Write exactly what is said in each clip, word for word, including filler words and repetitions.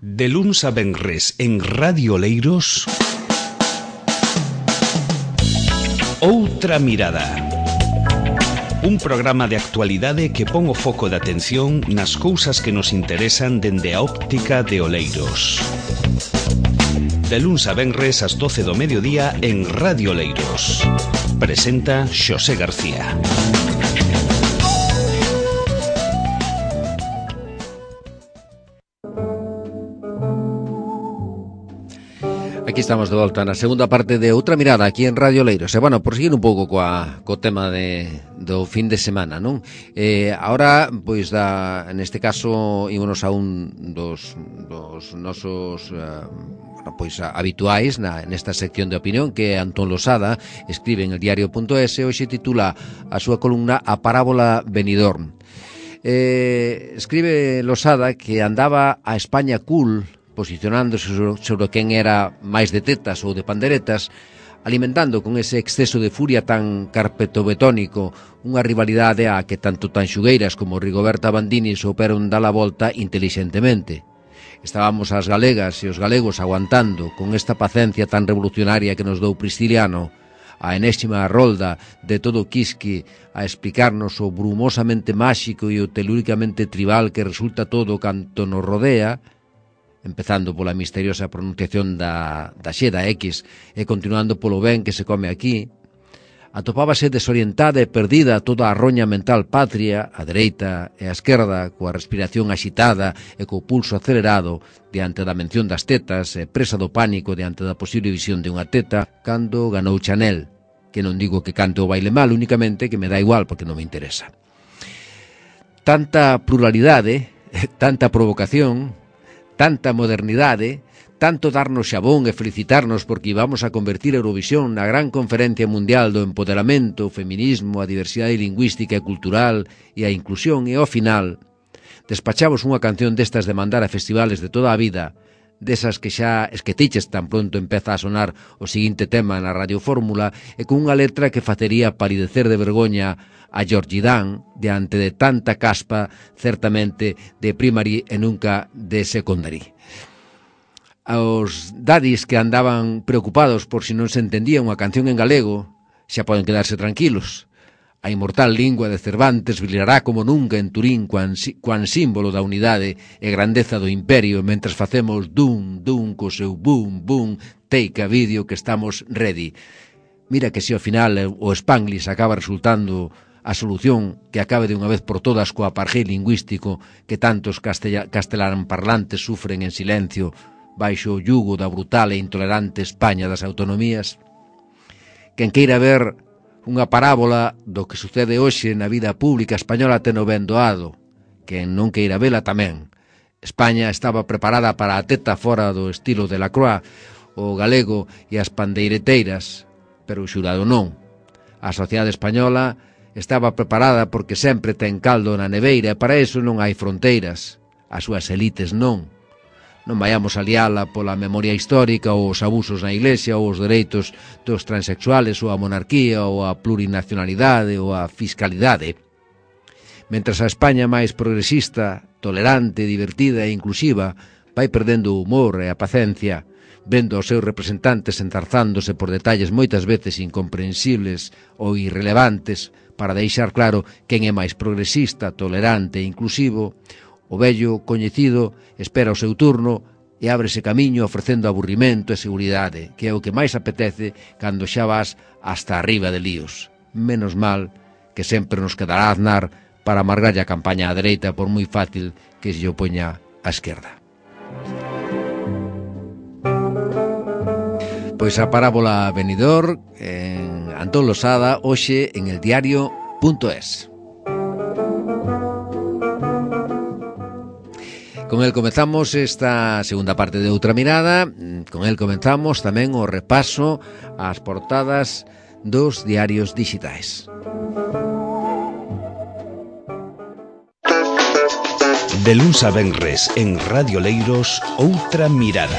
De luns a venres en Radio Oleiros, Outra Mirada. Un programa de actualidade que pon o foco de atención nas cousas que nos interesan dende a óptica de Oleiros. De luns a venres ás doce do mediodía en Radio Oleiros. Presenta Xosé García. Aquí estamos de volta na segunda parte de Outra Mirada aquí en Radio Oleiros. E, bueno, por seguir un pouco coa, co tema de, do fin de semana, non? Eh, ahora, pois, da, neste caso, ímonos a un dos, dos nosos uh, pois, habituais na, nesta sección de opinión, que Antón Losada escribe en el diario punto es e hoxe titula a súa columna A Parábola Benidorm. Eh, escribe Losada que andaba a España cool, posicionándose sobre quen era máis de tetas ou de panderetas, alimentando con ese exceso de furia tan carpetobetónico unha rivalidade a que tanto Tanxugueiras como Rigoberta Bandini souperon dar a volta intelixentemente. Estábamos as galegas e os galegos aguantando con esta pacencia tan revolucionaria que nos dou Prisciliano, a enésima rolda de todo quisque a explicarnos o brumosamente máxico e o telúricamente tribal que resulta todo canto nos rodea, empezando pola misteriosa pronunciación da, da X da X e continuando polo ben que se come aquí, atopábase desorientada e perdida toda a roña mental patria, a dereita e a esquerda, coa respiración axitada e co pulso acelerado diante da mención das tetas e presa do pánico diante da posible visión de unha teta, cando ganou Chanel, que non digo que cante o baile mal, únicamente que me dá igual porque non me interesa. Tanta pluralidade, tanta provocación, tanta modernidade, tanto darnos xabón e felicitarnos porque íbamos a convertir a Eurovisión na gran conferencia mundial do empoderamento, o feminismo, a diversidade lingüística e cultural e a inclusión, e ao final despachamos unha canción destas de mandar a festivales de toda a vida, desas que xa esquetiches tan pronto empeza a sonar o seguinte tema na radiofórmula e con unha letra que facería palidecer de vergoña a Georgie Dan diante de tanta caspa, certamente de primary e nunca de secondary. Aos dadis que andaban preocupados por si non se entendía unha canción en galego xa poden quedarse tranquilos. A inmortal lingua de Cervantes brillará como nunca en Turín cuan, cuan símbolo da unidade e grandeza do imperio mentras facemos dum, dum co seu boom, boom, take a vídeo que estamos ready. Mira que se ao final o Spanglish acaba resultando a solución que acabe de unha vez por todas co apartheid lingüístico que tantos castelán parlantes sufren en silencio baixo o yugo da brutal e intolerante España das autonomías. Quen queira ver unha parábola do que sucede hoxe na vida pública española ten o ben doado. Quen non queira vela tamén. España estaba preparada para a teta fora do estilo de Lacroix, o galego e as pandeireteiras, pero o xurado non. A sociedade española estaba preparada porque sempre ten caldo na neveira e para iso non hai fronteiras. As súas elites non. Non vayamos a liala pola memoria histórica ou os abusos na Iglesia ou os dereitos dos transexuales ou a monarquía ou a plurinacionalidade ou a fiscalidade. Mentras a España máis progresista, tolerante, divertida e inclusiva vai perdendo o humor e a pacencia, vendo aos seus representantes enzarzándose por detalles moitas veces incomprensibles ou irrelevantes para deixar claro quen é máis progresista, tolerante e inclusivo, o vello coñecido espera o seu turno e ábrese camiño ofrecendo aburrimento e seguridade, que é o que máis apetece cando xa vas hasta arriba de líos. Menos mal que sempre nos quedará Aznar para amargarlle a campaña á dereita por moi fácil que se lle opoña á esquerda. Pois a parábola Benidorm en Antón Losada hoxe en el diario punto es. Con el comezamos esta segunda parte de Outra Mirada. Con el comenzamos tamén o repaso ás portadas dos diarios digitais. De luns a venres en Radio Oleiros, Outra Mirada.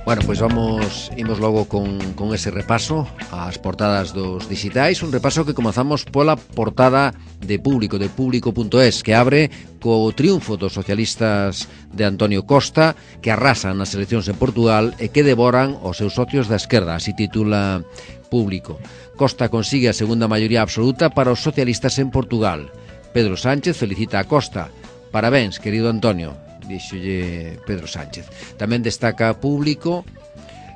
Bueno, pois vamos, imos logo con, con ese repaso ás portadas dos digitais, un repaso que comezamos pola portada de Público, de público punto es, que abre co triunfo dos socialistas de Antonio Costa, que arrasan nas eleccións en Portugal e que devoran os seus socios da esquerda, así titula Público. Costa consigue a segunda maioría absoluta para os socialistas en Portugal. Pedro Sánchez felicita a Costa. Parabéns, querido Antonio, díxolle Pedro Sánchez. Tamén destaca Público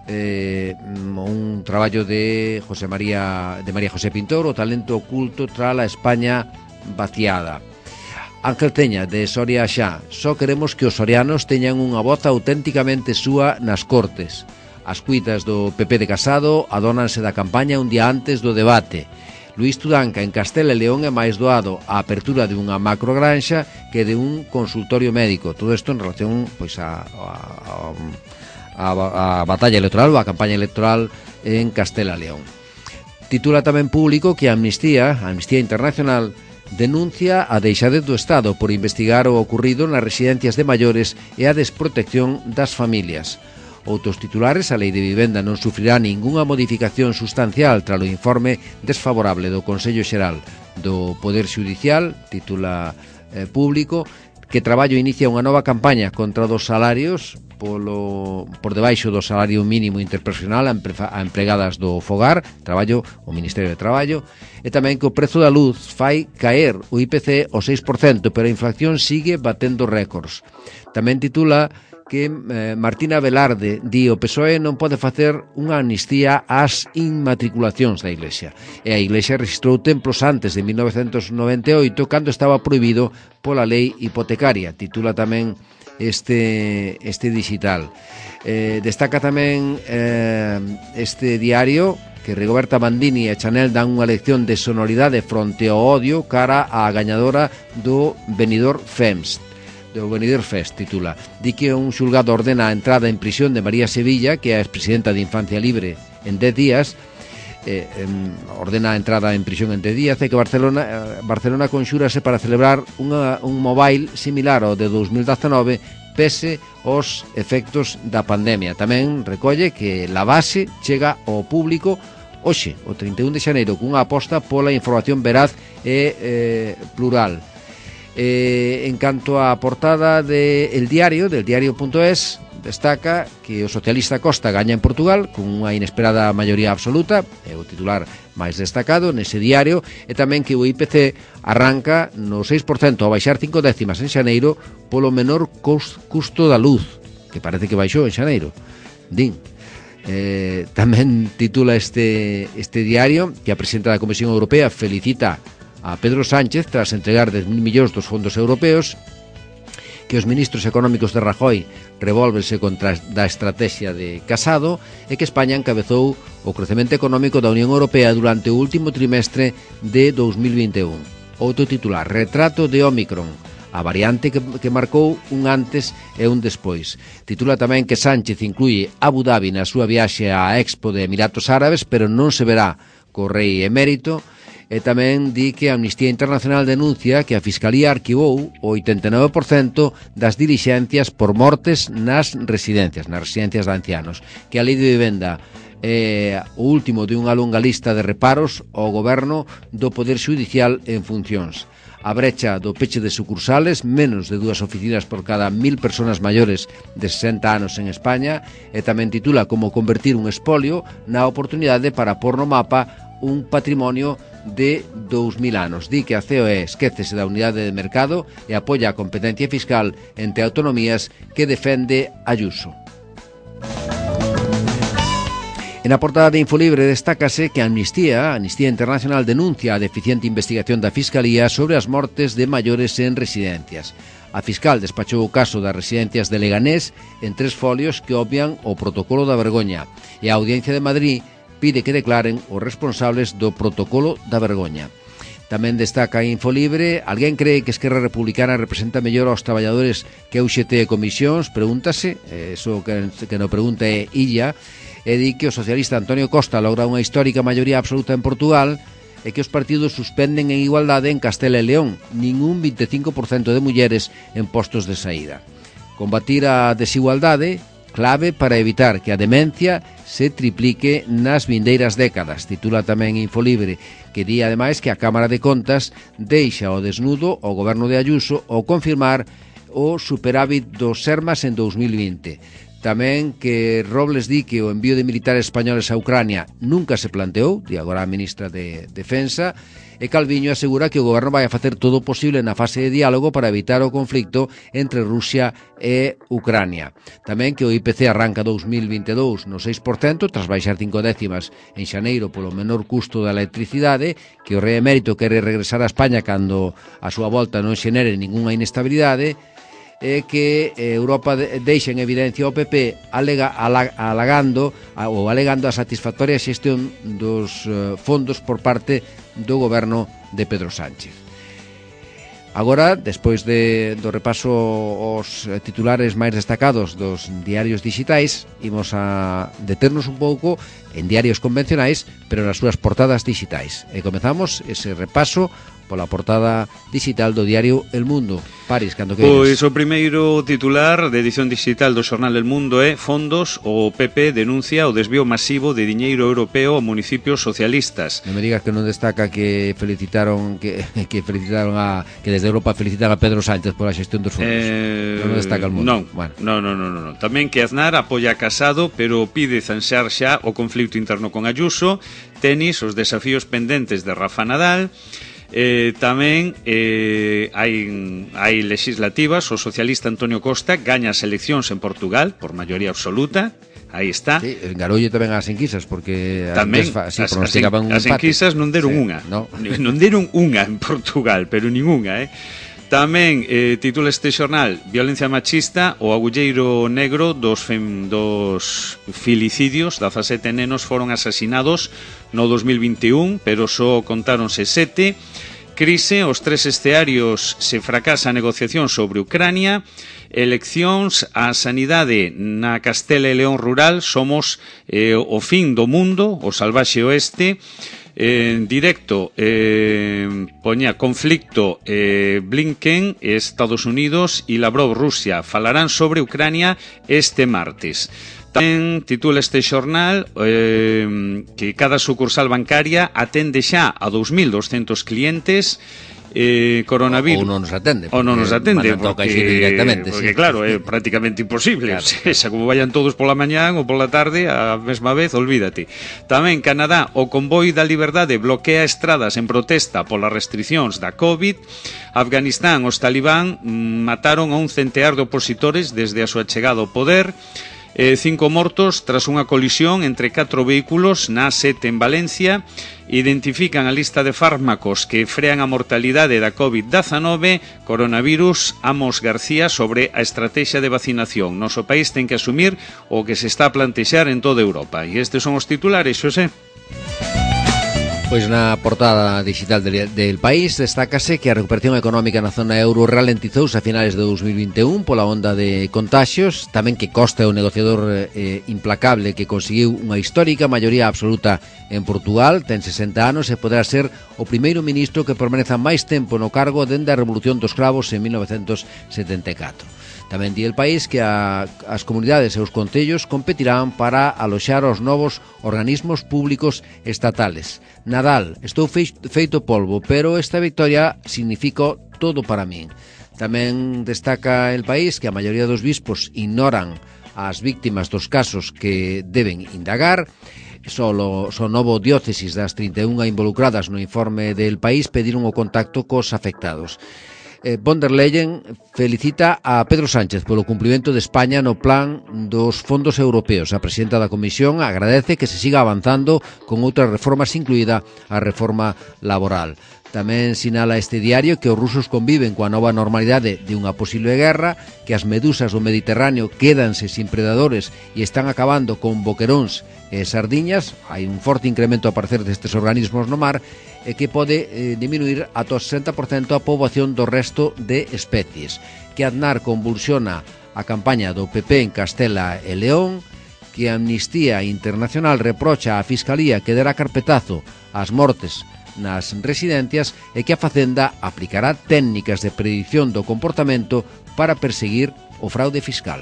eh, un traballo de José María de María José Pintor, o talento oculto tras a España vaciada. Ángel Teña, de Soria xa: só queremos que os sorianos teñan unha voz auténticamente súa nas Cortes. As cuitas do P P de Casado adónanse da campaña un día antes do debate. Luís Tudanca, en Castela e León, é máis doado a apertura de unha macrogranxa que de un consultorio médico. Todo isto en relación pois a, a, a, a batalla electoral ou a campaña electoral en Castela e León. Titula tamén Público que a Amnistía, a Amnistía Internacional, denuncia a deixadez do Estado por investigar o ocurrido nas residencias de maiores e a desprotección das familias. Outros titulares: a Lei de Vivenda non sufrirá ningunha modificación sustancial tras o informe desfavorable do Consello Xeral do Poder Xudicial, titula eh, Público, que Traballo inicia unha nova campaña contra dos salarios polo, por debaixo do salario mínimo interprofesional a, empre, a empregadas do fogar, Traballo, o Ministerio de Traballo, e tamén que o prezo da luz fai caer o I P C ao seis por cento, pero a inflación sigue batendo récords. Tamén titula que eh, Martina Velarde di: o P S O E non pode facer unha amnistía ás inmatriculacións da Iglesia. E a Iglesia registrou templos antes de mil novecentos noventa e oito, cando estaba prohibido pola lei hipotecaria. Titula tamén este, este digital. Eh, destaca tamén eh, este diario que Rigoberta Bandini e Chanel dan unha lección de sonoridade fronte ao odio cara á gañadora do Benidorm Fest. do Benidorm Fest, titula. Di que un xulgado ordena a entrada en prisión de María Sevilla, que é a expresidenta de Infancia Libre, en dez días, eh, eh, ordena a entrada en prisión en dez días, e que Barcelona, eh, Barcelona conxúrase para celebrar unha, un mobile similar ao de dos mil dezanove, pese aos efectos da pandemia. Tamén recolle que la base chega ao público hoxe, o trinta e un de xaneiro, cunha aposta pola información veraz e eh, plural. Eh, en canto á portada de El Diario, del diario punto es, destaca que o socialista Costa gaña en Portugal con unha inesperada maioría absoluta, é o titular máis destacado nese diario, e tamén que o I P C arranca no seis por cento, ao baixar cinco décimas en xaneiro polo menor custo da luz, que parece que baixou en xaneiro. Din. Eh, tamén titula este, este diario que a presidenta da Comisión Europea felicita a Pedro Sánchez tras entregar dez mil millóns dos fondos europeos, que os ministros económicos de Rajoy revólvense contra da estrategia de Casado, e que España encabezou o crecemento económico da Unión Europea durante o último trimestre de dos mil vinte e un. Outro titular: retrato de Ómicron, a variante que, que marcou un antes e un despois. Titula tamén que Sánchez incluye Abu Dhabi na súa viaxe á Expo de Emiratos Árabes, pero non se verá co rei emérito. E tamén di que a Amnistía Internacional denuncia que a Fiscalía arquivou o oitenta e nove por cento das dilixencias por mortes nas residencias, nas residencias de ancianos, que a Lei de Vivenda é o último de unha longa lista de reparos ao goberno do Poder Xudicial en funcións. A brecha do peche de sucursales, menos de dúas oficinas por cada mil persoas maiores de sesenta anos en España, e tamén titula como convertir un espolio na oportunidade para pôr no mapa un patrimonio de dous mil anos. Di que a C O E esquécese da unidade de mercado e apoia a competencia fiscal entre autonomías que defende Ayuso. En a portada de Infolibre destácase que a Amnistía, a Amnistía Internacional, denuncia a deficiente investigación da Fiscalía sobre as mortes de maiores en residencias. A fiscal despachou o caso das residencias de Leganés en tres folios que obvian o protocolo da vergoña, e a Audiencia de Madrid pide que declaren os responsables do protocolo da vergoña. Tamén destaca Infolibre: alguén cree que Esquerra Republicana representa mellor aos traballadores que a U X T e Comisións? Pregúntase, eso que, que no pregunta é Illa, e di que o socialista Antonio Costa logra unha histórica maioría absoluta en Portugal e que os partidos suspenden en igualdade en Castela e León, ningún vinte e cinco por cento de mulleres en postos de saída. Combatir a desigualdade clave para evitar que a demencia se triplique nas vindeiras décadas. Titula tamén Infolibre, que di ademais que a Cámara de Contas deixa o desnudo ao goberno de Ayuso ao confirmar o superávit dos Sermas en dous mil vinte. Tamén que Robles di que o envío de militares españoles a Ucrania nunca se planteou, di agora a ministra de Defensa, e Calviño asegura que o goberno vai a facer todo o posible na fase de diálogo para evitar o conflicto entre Rusia e Ucrania. Tamén que o I P C arranca dous mil vinte e dous no seis por cento, tras baixar cinco décimas en xaneiro polo menor custo da electricidade, que o rei emérito quere regresar a España cando a súa volta non xenere ningunha inestabilidade, e que Europa deixa en evidencia o P P alega, alagando ou alegando a satisfactoria xestión dos fondos por parte do goberno de Pedro Sánchez. Agora, despois de, do repaso aos titulares máis destacados dos diarios digitais, imos a deternos un pouco en diarios convencionais, pero nas súas portadas digitais. E comezamos ese repaso pola portada digital do diario El Mundo. Paris, cando queres. Pois o primeiro titular de edición digital do xornal El Mundo é: Fondos, o P P denuncia o desvío masivo de diñeiro europeo a municipios socialistas. Non me digas que non destaca que felicitaron que, que felicitaron a que desde Europa felicitan a Pedro Sánchez pola xestión dos fondos. Eh, non destaca El Mundo. Non, bueno. non, non, non, non. Tamén que Aznar apoia a Casado, pero pide zanxar xa o conflito interno con Ayuso. Tenis, os desafíos pendentes de Rafa Nadal. Eh, tamén eh, hai, hai legislativas. O socialista Antonio Costa gaña as eleccións en Portugal por maioría absoluta. Aí está. Sí, engaroulle tamén as enquisas, porque tamén fa, sí, as, as, en, as enquisas non deron sí, unha no. non deron unha en Portugal, pero ningunha, eh? Tamén eh, titula este xornal: Violencia machista, o agulleiro negro dos, fem, dos filicidios. dezasete nenos foron asasinados no dos mil vinte e un, pero só contáronse sete. Crise, os tres estearios se fracasa a negociación sobre Ucrania. Eleccións, a sanidade na Castela e León rural. Somos eh, o fin do mundo, o salvaxe oeste. En directo eh, poña conflicto eh, Blinken, Estados Unidos e Lavrov, Rusia, falarán sobre Ucrania este martes. Tamén titula este xornal eh, que cada sucursal bancaria atende xa a dous mil doscentos clientes. Eh, coronavirus ou non nos atende ou non nos atende porque, directamente, porque sí. Claro, é prácticamente imposible, claro. O sea, como vayan todos pola mañán ou pola tarde a mesma vez, olvídate. Tamén Canadá, o convoi da liberdade bloquea estradas en protesta polas restriccións da COVID. Afganistán, os talibán mataron a un centear de opositores desde a súa chegada ao poder. Eh, cinco mortos tras unha colisión entre catro vehículos na A sete en Valencia. Identifican a lista de fármacos que frean a mortalidade da COVID diecinueve. Coronavirus, Amos García sobre a estrategia de vacinación. Noso país ten que asumir o que se está a plantexar en toda Europa. E estes son os titulares, Xosé. Pois na portada digital del, del país destácase que a recuperación económica na zona euro ralentizouse a finales de dos mil vinte e un pola onda de contaxios. Tamén que Costa é un negociador eh, implacable que conseguiu unha histórica maioría absoluta en Portugal. Ten sesenta anos e poderá ser o primeiro ministro que permaneza máis tempo no cargo dende a Revolución dos Cravos en mil novecentos setenta e catro. Tamén di El País que a, as comunidades e os concellos competirán para aloxar os novos organismos públicos estatales. Nadal, estou feito polvo, pero esta victoria significa todo para min. Tamén destaca El País que a maioría dos bispos ignoran as víctimas dos casos que deben indagar. Solo son novo diócesis das trinta e unha involucradas no informe del País pediron o contacto cos afectados. Eh, von der Leyen felicita a Pedro Sánchez polo cumprimento de España no plan dos fondos europeos. A presidenta da Comisión agradece que se siga avanzando con outras reformas, incluída a reforma laboral. Tamén sinala este diario que os rusos conviven coa nova normalidade de unha posible guerra, que as medusas do Mediterráneo quédanse sin predadores e están acabando con boqueróns e sardiñas. Hai un forte incremento a parecer destes organismos no mar e que pode eh, diminuir ata o sesenta por cento a poboación do resto de especies. Que Aznar convulsiona a campaña do P P en Castela e León. Que Amnistía Internacional reprocha á Fiscalía que derá carpetazo ás mortes nas residencias e que a Facenda aplicará técnicas de predicción do comportamento para perseguir o fraude fiscal.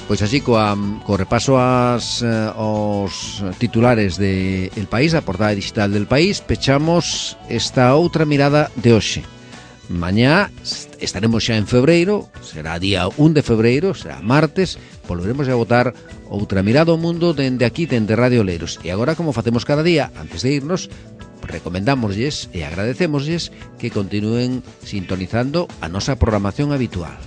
Pois así, coa, co repaso as, uh, aos titulares de El País, a portada digital del País, pechamos esta outra mirada de hoxe. Mañá estaremos xa en febreiro, será día un de febreiro, será martes, volveremos a botar outra mirada ao mundo dende aquí, dende Radio Oleiros. E agora, como facemos cada día, antes de irnos, recomendámoslles e agradecémoslles que continúen sintonizando a nosa programación habitual.